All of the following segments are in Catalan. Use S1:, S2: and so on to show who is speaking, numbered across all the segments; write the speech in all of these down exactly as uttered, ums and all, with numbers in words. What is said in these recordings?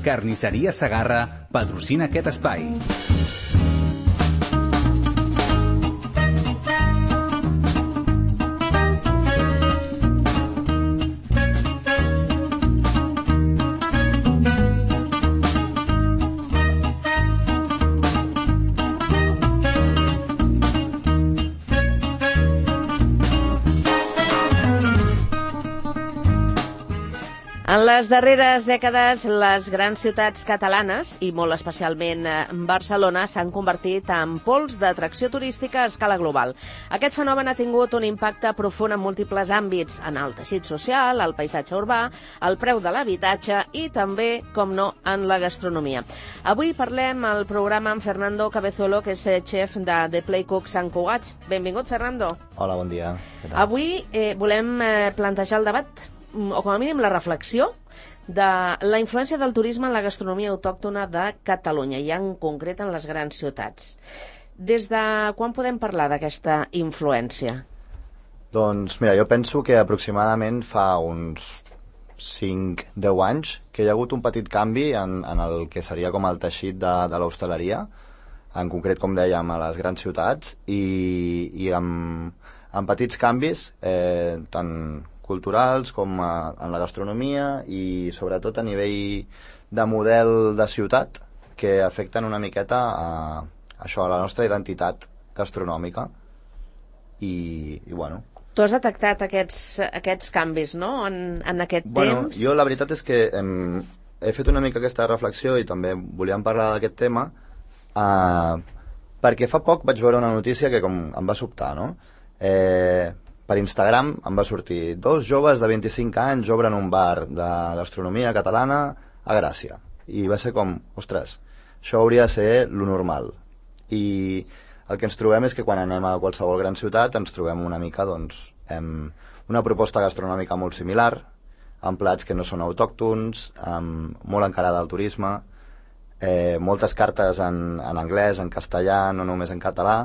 S1: Carnisseria Segarra patrocina aquest espai.
S2: En les darreres dècades, les grans ciutats catalanes, i molt especialment Barcelona, s'han convertit en pols d'atracció turística a escala global. Aquest fenomen ha tingut un impacte profund en múltiples àmbits, en el teixit social, el paisatge urbà, el preu de l'habitatge i també, com no, en la gastronomia. Avui parlem al programa amb Fernando Cabezuelo, que és xef de The Play Cook Sant Cugat. Benvingut, Fernando.
S3: Hola, bon dia.
S2: Avui eh, volem eh, plantejar el debat, o com a mínim la reflexió, de la influència del turisme en la gastronomia autòctona de Catalunya, i en concret en les grans ciutats. Des de quan podem parlar d'aquesta influència?
S3: Doncs mira, jo penso que aproximadament fa uns cinc a deu anys que hi ha hagut un petit canvi en, en el que seria com el teixit de, de l'hostaleria, en concret, com dèiem, a les grans ciutats, i, i amb, amb petits canvis, eh, tant culturals com a, en la gastronomia i sobretot a nivell de model de ciutat que afecten una miqueta a, a això, a la nostra identitat gastronòmica i, i bueno.
S2: Tu has detectat aquests, aquests canvis, no?, en, en aquest
S3: bueno,
S2: temps?
S3: Jo la veritat és que hem, he fet una mica aquesta reflexió i també volíem parlar d'aquest tema eh, perquè fa poc vaig veure una notícia que com em va sobtar, no? Eh, per Instagram em va sortir: dos joves de vint-i-cinc anys obren un bar de gastronomia catalana a Gràcia. I va ser com, ostres, això hauria de ser lo normal. I el que ens trobem és que quan anem a qualsevol gran ciutat ens trobem una mica, doncs, amb una proposta gastronòmica molt similar, amb plats que no són autòctons, amb molt encarada al turisme, eh, moltes cartes en, en anglès, en castellà, no només en català,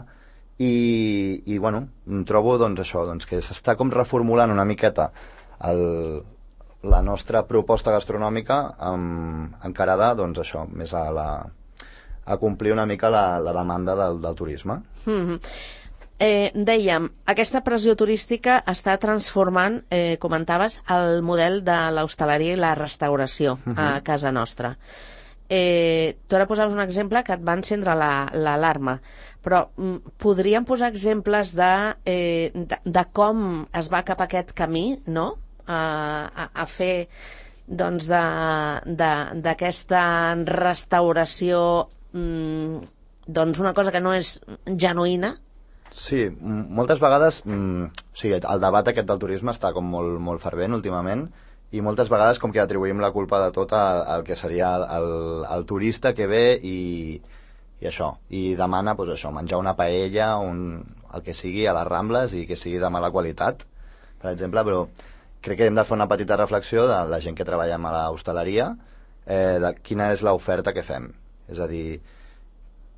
S3: i, i bueno, em trobo doncs això, doncs que s'està com reformulant una miqueta el, la nostra proposta gastronòmica amb, encarada doncs això, més a, la, a complir una mica la, la demanda del, del turisme.
S2: Mm-hmm. Eh, dèiem, aquesta pressió turística està transformant, eh, comentaves, el model de l'hostaleria i la restauració mm-hmm. a casa nostra. Eh, tu ara posaves un exemple que et va encendre l'alarma, la, però mm, podríem posar exemples de, eh, de, de com es va cap a aquest camí, no?, a, a, a fer doncs d'aquesta restauració mm, doncs una cosa que no és genuïna.
S3: Sí, moltes vegades mm, o sigui, el debat aquest del turisme està com molt, molt fervent últimament, i moltes vegades com que atribuïm la culpa de tot al, al que seria el, el turista que ve i, i això, i demana pues, això, menjar una paella, un, el que sigui a les Rambles i que sigui de mala qualitat, per exemple, però crec que hem de fer una petita reflexió de la gent que treballem a l'hostaleria, eh, de quina és l'oferta que fem. És a dir,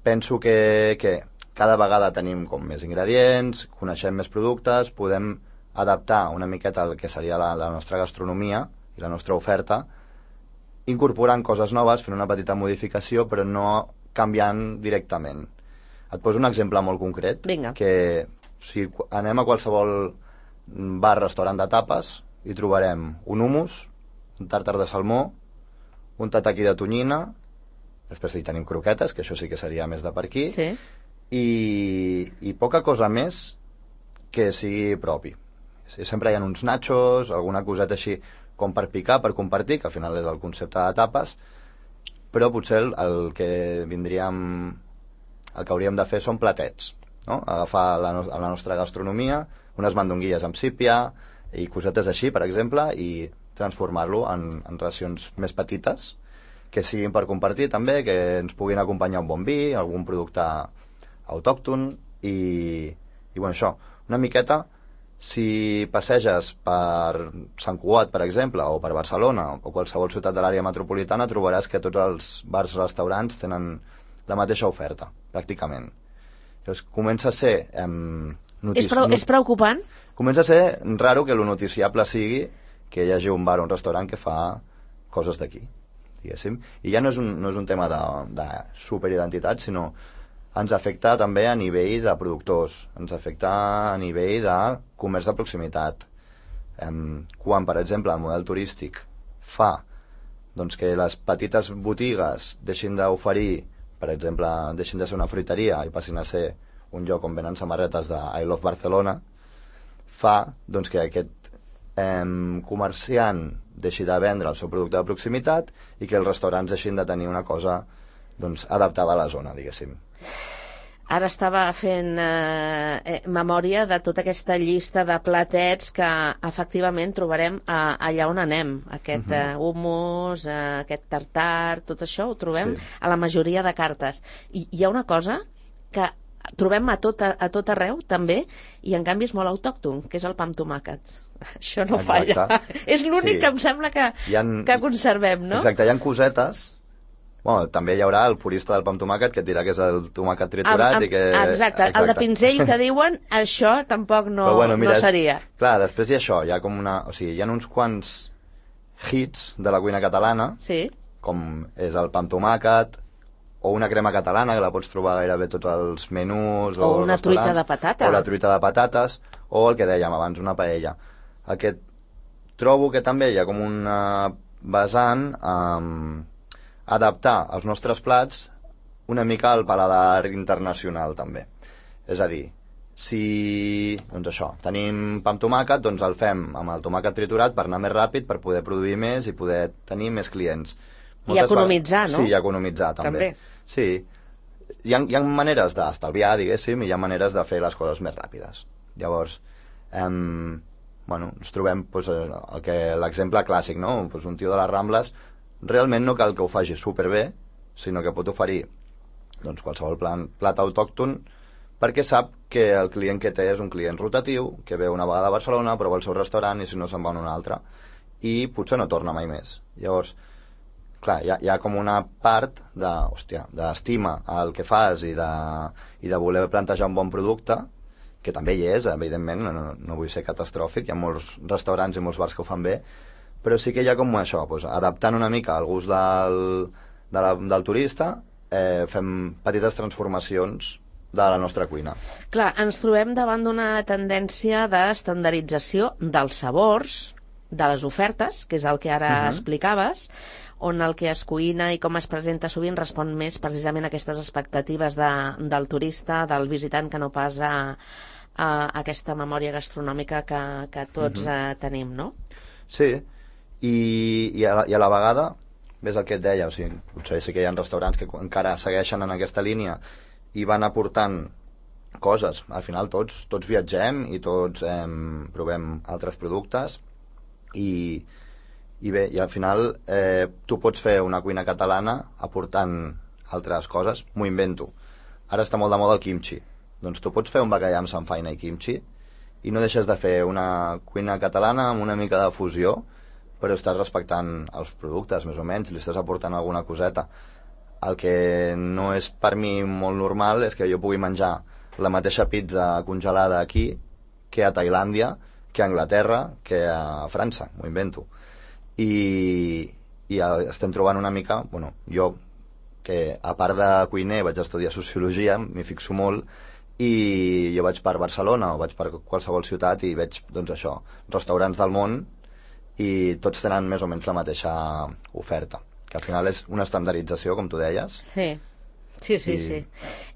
S3: penso que, que cada vegada tenim com més ingredients, coneixem més productes, podem adaptar una miqueta el que seria la, la nostra gastronomia i la nostra oferta, incorporant coses noves, fent una petita modificació, però no canviant directament. Et poso un exemple molt concret.
S2: Vinga.
S3: Que si anem a qualsevol bar, restaurant de tapes, hi trobarem un hummus, un tàrtar de salmó, un tataki de tonyina, després hi tenim croquetes, que això sí que seria més de per aquí,
S2: sí.
S3: i, i poca cosa més que sigui propi. Sempre hi ha uns nachos, alguna coseta així com per picar, per compartir, que al final és el concepte de tapes, però potser el, el que vindríem, el que hauríem de fer són platets, no? Agafar la, no, la nostra gastronomia, unes mandonguilles amb sípia i cosetes així, per exemple, i transformar-lo en, en racions més petites, que siguin per compartir també, que ens puguin acompanyar un bon vi, algun producte autòcton, i, i bueno, això, una miqueta. Si passeges per Sant Cugat, per exemple, o per Barcelona, o qualsevol ciutat de l'àrea metropolitana, trobaràs que tots els bars i restaurants tenen la mateixa oferta, pràcticament. Llavors, comença a ser... Eh, notici...
S2: és, preu, és preocupant?
S3: Comença a ser raro que lo noticiable sigui que hi hagi un bar o un restaurant que fa coses d'aquí, diguéssim. I ja no és un, no és un tema de, de superidentitat, sinó ens afecta també a nivell de productors, ens afecta a nivell de comerç de proximitat. Em, quan, per exemple, el model turístic fa doncs, que les petites botigues deixin d'oferir, per exemple, deixin de ser una fruiteria i passin a ser un lloc on venen samarretes de I Love Barcelona, fa doncs, que aquest eh, comerciant deixi de vendre el seu producte de proximitat i que els restaurants deixin de tenir una cosa doncs, adaptada a la zona, diguéssim.
S2: Ara estava fent eh, eh, memòria de tota aquesta llista de platets que efectivament trobarem a, allà on anem. Aquest uh -huh. eh, hummus, eh, aquest tartar, tot això ho trobem sí. a la majoria de cartes. I hi ha una cosa que trobem a tot, a, a tot arreu, també, i en canvi és molt autòcton, que és el pa amb tomàquet. Això no
S3: Exacte.
S2: falla. És l'únic sí. que em sembla que, ha, que conservem, no?
S3: Exacte, hi ha cosetes. Bueno, també hi haurà el purista del pa amb tomàquet que et dirà que és el tomàquet triturat
S2: amb, amb,
S3: i que...
S2: Exacte, exacte, el de pinzell que diuen, això tampoc no,
S3: bueno, mira,
S2: no seria.
S3: És, clar, després hi ha això, hi ha com una... O sigui, hi ha uns quants hits de la cuina catalana,
S2: sí.
S3: com és el pa amb tomàquet, o una crema catalana, que la pots trobar gairebé tots els menús,
S2: o, o una truita de patata.
S3: O la truita de patates, o el que dèiem abans, una paella. Aquest, trobo que també hi ha com una vessant um, adaptar els nostres plats una mica al paladar internacional, també. És a dir, si, doncs això, tenim pa amb tomàquet, doncs el fem amb el tomàquet triturat per anar més ràpid, per poder produir més i poder tenir més clients.
S2: Moltes I economitzar,
S3: vegades,
S2: no?
S3: Sí, i economitzar, també. també. Sí, hi ha, hi ha maneres d'estalviar, diguéssim, i hi ha maneres de fer les coses més ràpides. Llavors, em, bueno, ens trobem pues, el que l'exemple clàssic, no? Pues un tio de les Rambles realment no cal que ho faci superbé, sinó que pot oferir doncs, qualsevol plan, plat autòcton perquè sap que el client que té és un client rotatiu, que ve una vegada a Barcelona, prova el seu restaurant i si no se'n va a un altre. I potser no torna mai més. Llavors, clar, hi ha, hi ha com una part de, hòstia, d'estima al que fas i de, i de voler plantejar un bon producte, que també hi és, evidentment, no, no vull ser catastròfic, hi ha molts restaurants i molts bars que ho fan bé, però sí que hi ha com això, doncs, adaptant una mica al gust del, de la, del turista, eh, fem petites transformacions de la nostra cuina.
S2: Clar, ens trobem davant d'una tendència d'estandardització dels sabors, de les ofertes, que és el que ara uh-huh. explicaves, on el que es cuina i com es presenta sovint respon més precisament a aquestes expectatives de, del turista, del visitant, que no pas a, a aquesta memòria gastronòmica que, que tots uh-huh. eh, tenim, no?
S3: Sí, i, i, a, i a la vegada, ves el que et deia, o sigui, potser sí que hi ha restaurants que encara segueixen en aquesta línia i van aportant coses. Al final tots, tots viatgem i tots eh, provem altres productes i, i bé, i al final eh, tu pots fer una cuina catalana aportant altres coses. M'ho invento. Ara està molt de moda el kimchi. Doncs tu pots fer un bacallà amb samfaina i kimchi i no deixes de fer una cuina catalana amb una mica de fusió, però estàs respectant els productes, més o menys, li estàs aportant alguna coseta. El que no és per mi molt normal és que jo pugui menjar la mateixa pizza congelada aquí que a Tailàndia, que a Anglaterra, que a França, m'ho invento. I, i estem trobant una mica, bueno, jo, que a part de cuiner vaig estudiar sociologia, m'hi fixo molt, i jo vaig per Barcelona o vaig per qualsevol ciutat i veig, doncs això, restaurants del món i tots tenen més o menys la mateixa oferta, que al final és una estandardització, com tu deies.
S2: Sí, sí, sí. I... sí.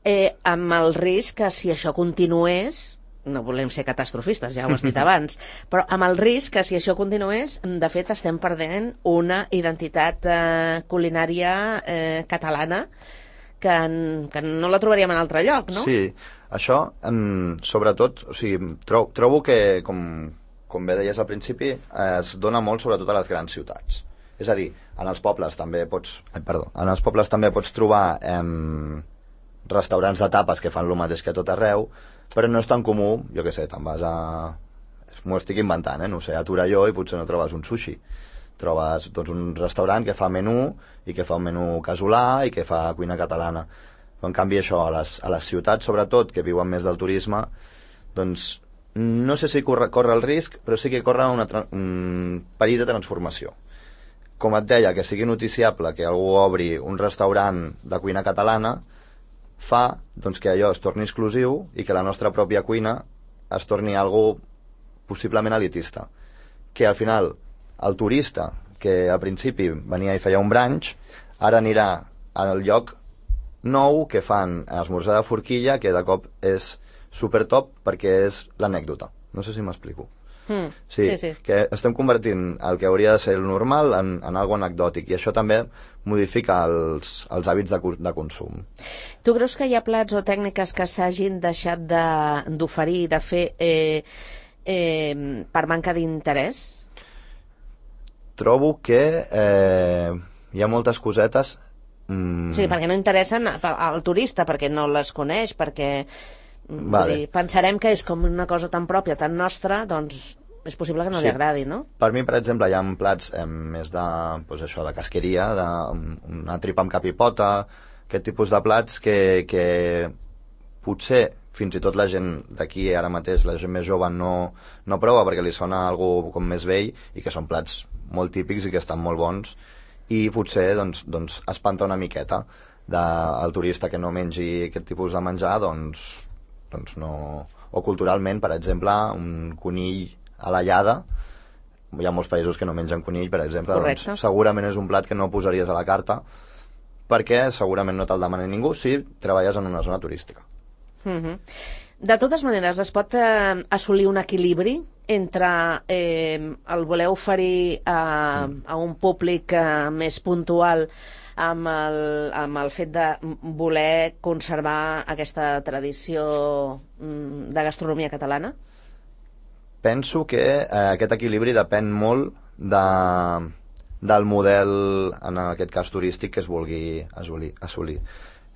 S2: Eh, amb el risc que si això continués, no volem ser catastrofistes, ja ho has dit abans, però amb el risc que si això continués, de fet estem perdent una identitat eh, culinària eh, catalana que, que no la trobaríem en altre lloc, no?
S3: Sí, això, um, sobretot, o sigui, tro trobo que, com, com bé deies al principi, es dona molt sobretot a les grans ciutats. És a dir, en els pobles també pots... Ai, perdó. En els pobles també pots trobar eh, restaurants de tapes que fan el mateix que a tot arreu, però no és tan comú, jo què sé, te'n vas a... M'ho estic inventant, eh? No sé, a Torelló i potser no trobes un sushi. Trobes doncs, un restaurant que fa menú i que fa un menú casolà i que fa cuina catalana. Però, en canvi, això, a les, a les ciutats, sobretot, que viuen més del turisme, doncs no sé si corre, corre el risc, però sí que corre una, un perill de transformació. com et deia, que sigui noticiable que algú obri un restaurant de cuina catalana, fa doncs, que allò es torni exclusiu i que la nostra pròpia cuina es torni algo possiblement elitista. Que al final el turista, que al principi venia i feia un brunch, ara anirà al lloc nou que fan esmorzar de forquilla, que de cop és super top perquè és l'anècdota. No sé si m'explico.
S2: Mm,
S3: sí,
S2: sí, sí.
S3: Que estem convertint el que hauria de ser el normal en, en algo anecdòtic, i això també modifica els, els hàbits de, de consum.
S2: Tu creus que hi ha plats o tècniques que s'hagin deixat d'oferir, de, de fer eh, eh, per manca d'interès?
S3: Trobo que eh, hi ha moltes cosetes...
S2: Mm... Sí, perquè no interessen al turista, perquè no les coneix, perquè
S3: vale.
S2: dir, pensarem que és com una cosa tan pròpia, tan nostra, doncs és possible que no
S3: sí.
S2: li agradi, no?
S3: Per mi, per exemple, hi ha plats eh, més de, pues això, de casqueria, de, una tripa amb cap i pota, aquest tipus de plats que, que potser fins i tot la gent d'aquí ara mateix, la gent més jove, no, no prova perquè li sona algo com més vell, i que són plats molt típics i que estan molt bons, i potser doncs, doncs espanta una miqueta de, el turista que no mengi aquest tipus de menjar, doncs, doncs no... O culturalment, per exemple, un conill a la llada, hi ha molts països que no mengen conill, per exemple, doncs, segurament és un plat que no posaries a la carta, perquè segurament no te'l demana ningú si treballes en una zona turística.
S2: Mm-hmm. De totes maneres, es pot eh, assolir un equilibri entre eh, el voler oferir a, a un públic eh, més puntual amb el, amb el fet de voler conservar aquesta tradició de gastronomia catalana?
S3: Penso que eh, aquest equilibri depèn molt de, del model, en aquest cas turístic, que es vulgui assolir, assolir.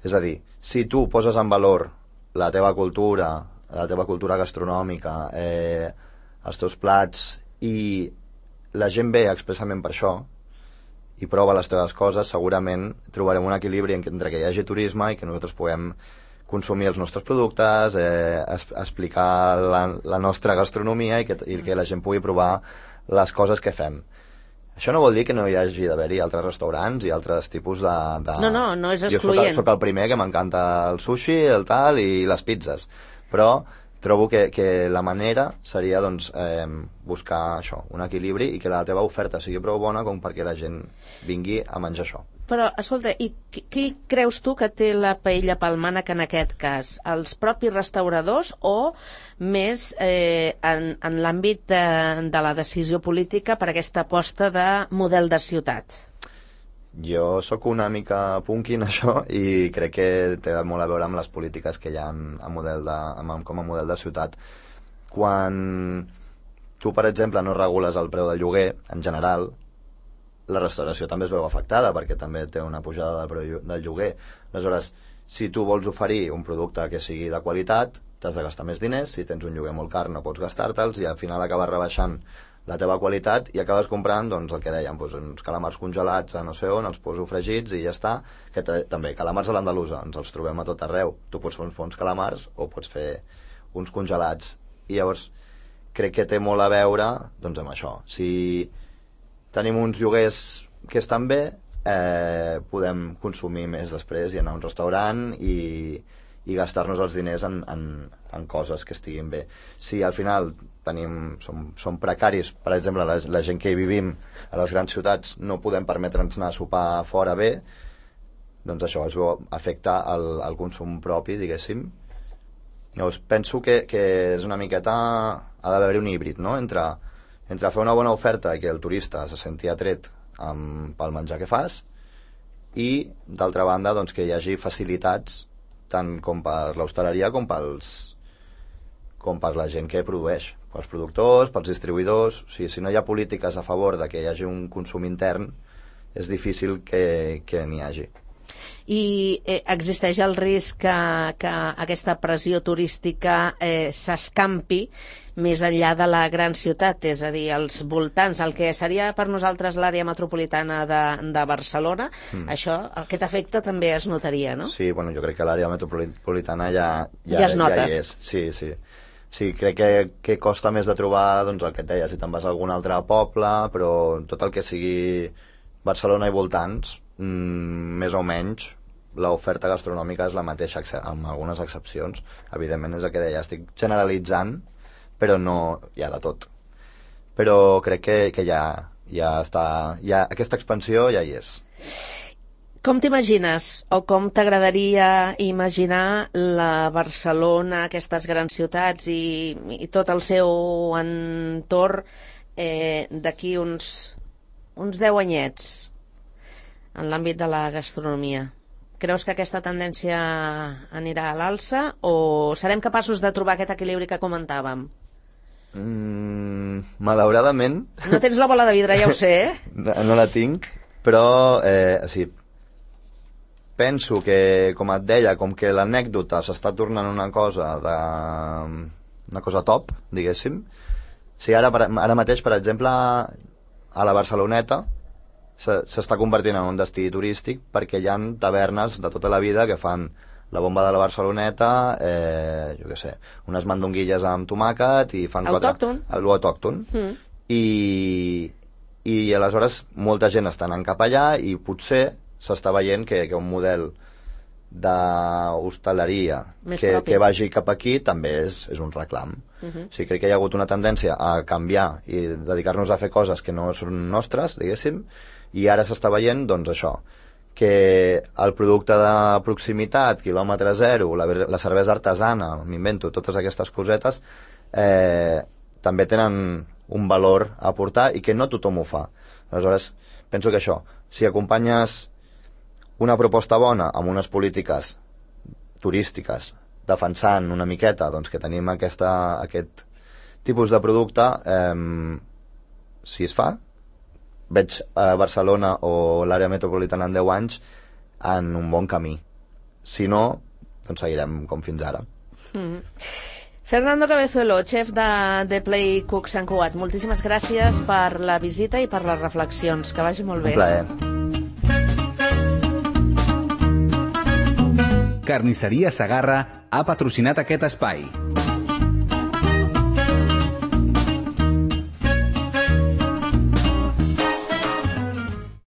S3: És a dir, si tu poses en valor la teva cultura, la teva cultura gastronòmica, eh, els teus plats, i la gent ve expressament per això, i prova les teves coses, segurament trobarem un equilibri entre que hi hagi turisme i que nosaltres puguem consumir els nostres productes, eh, es, explicar la, la nostra gastronomia i que, i que la gent pugui provar les coses que fem. Això no vol dir que no hi hagi d'haver-hi altres restaurants i altres tipus de... de...
S2: No, no, no és excloent.
S3: Jo soc, soc el primer que m'encanta el sushi, el tal i les pizzas, però trobo que, que la manera seria doncs, eh, buscar això, un equilibri, i que la teva oferta sigui prou bona com perquè la gent vingui a menjar això.
S2: Però, escolta, i qui, qui creus tu que té la paella pel mànec en aquest cas? Els propis restauradors o més eh, en, en l'àmbit de, de la decisió política per aquesta aposta de model de ciutat?
S3: Jo sóc una mica punky en això i crec que té molt a veure amb les polítiques que hi ha en, en model de, en, com a model de ciutat. Quan tu, per exemple, no regules el preu del lloguer, en general, la restauració també es veu afectada perquè també té una pujada del preu del lloguer. Aleshores, si tu vols oferir un producte que sigui de qualitat, t'has de gastar més diners. Si tens un lloguer molt car no pots gastar-te'ls i al final acabes rebaixant la teva qualitat i acabes comprant, doncs, el que dèiem, doncs, uns calamars congelats a no sé on, els poso fregits i ja està. Que també, calamars a l'andalusa, ens els trobem a tot arreu. Tu pots fer uns bons calamars o pots fer uns congelats. I llavors crec que té molt a veure, doncs, amb això. Si tenim uns lloguers que estan bé, eh, podem consumir més després i anar a un restaurant i, i gastar-nos els diners en, en, en coses que estiguin bé. Si al final tenim, som, som precaris, per exemple, la, la gent que hi vivim a les grans ciutats no podem permetre'ns anar a sopar fora bé, doncs això es veu afecta el, el consum propi, diguéssim. Llavors penso que, que és una miqueta, ha d'haver-hi un híbrid, no?, entre, entre fer una bona oferta i que el turista se senti atret amb, pel menjar que fas, i d'altra banda doncs, que hi hagi facilitats tant com per l'hostaleria com pels com per la gent que produeix, pels productors, pels distribuïdors. O sigui, si no hi ha polítiques a favor de que hi hagi un consum intern, és difícil que, que n'hi hagi.
S2: I eh, existeix el risc que, que aquesta pressió turística eh, s'escampi més enllà de la gran ciutat, és a dir, als voltants, el que seria per nosaltres l'àrea metropolitana de, de Barcelona, mm. això, aquest efecte també es notaria, no?
S3: Sí, bueno, jo crec que l'àrea metropolitana ja, ja,
S2: ja es nota.
S3: Ja hi és. Sí, sí. Sí, crec que, que costa més de trobar, doncs, el que et deia, si te'n vas a algun altre poble, però tot el que sigui Barcelona i voltants, mm, més o menys, l'oferta gastronòmica és la mateixa, amb algunes excepcions. Evidentment és el que deia, estic generalitzant, però no hi ha de tot. Però crec que, que ja, ja està, ja, aquesta expansió ja hi és.
S2: Com t'imagines, o com t'agradaria imaginar la Barcelona, aquestes grans ciutats i, i tot el seu entorn eh, d'aquí uns, uns deu anyets en l'àmbit de la gastronomia? Creus que aquesta tendència anirà a l'alça o serem capaços de trobar aquest equilibri que comentàvem?
S3: Mm, malauradament...
S2: No tens la bola de vidre, ja ho sé, eh?
S3: No, no la tinc, però eh, o sigui, penso que, com et deia, com que l'anècdota s'està tornant una cosa de... una cosa top, diguéssim. O sigui, ara, ara mateix, per exemple, a la Barceloneta s'està convertint en un destí turístic perquè hi ha tavernes de tota la vida que fan la bomba de la Barceloneta, eh, jo què sé, unes mandonguilles amb tomàquet i fan
S2: autòcton.
S3: Quatre... Autòcton. Mm. I, i aleshores molta gent està anant cap allà i potser s'està veient que, que un model d'hostaleria que, que vagi cap aquí també és, és un reclam. Uh-huh. O sigui, crec que hi ha hagut una tendència a canviar i dedicar-nos a fer coses que no són nostres, diguéssim, i ara s'està veient, doncs, això, que el producte de proximitat, quilòmetre zero, la, la cervesa artesana, m'invento, totes aquestes cosetes, eh, també tenen un valor a aportar i que no tothom ho fa. Aleshores, penso que això, si acompanyes una proposta bona amb unes polítiques turístiques defensant una miqueta doncs, que tenim aquesta, aquest tipus de producte, eh, si es fa, veig a Barcelona o l'àrea metropolitana en deu anys en un bon camí. Si no, doncs seguirem com fins ara. Mm.
S2: Fernando Cabezuelo, chef de The Play Cook Sant Cugat, moltíssimes gràcies per la visita i per les reflexions. Que vagi molt bé.
S3: Un plaer.
S1: Carnisseria Segarra ha patrocinat aquest espai.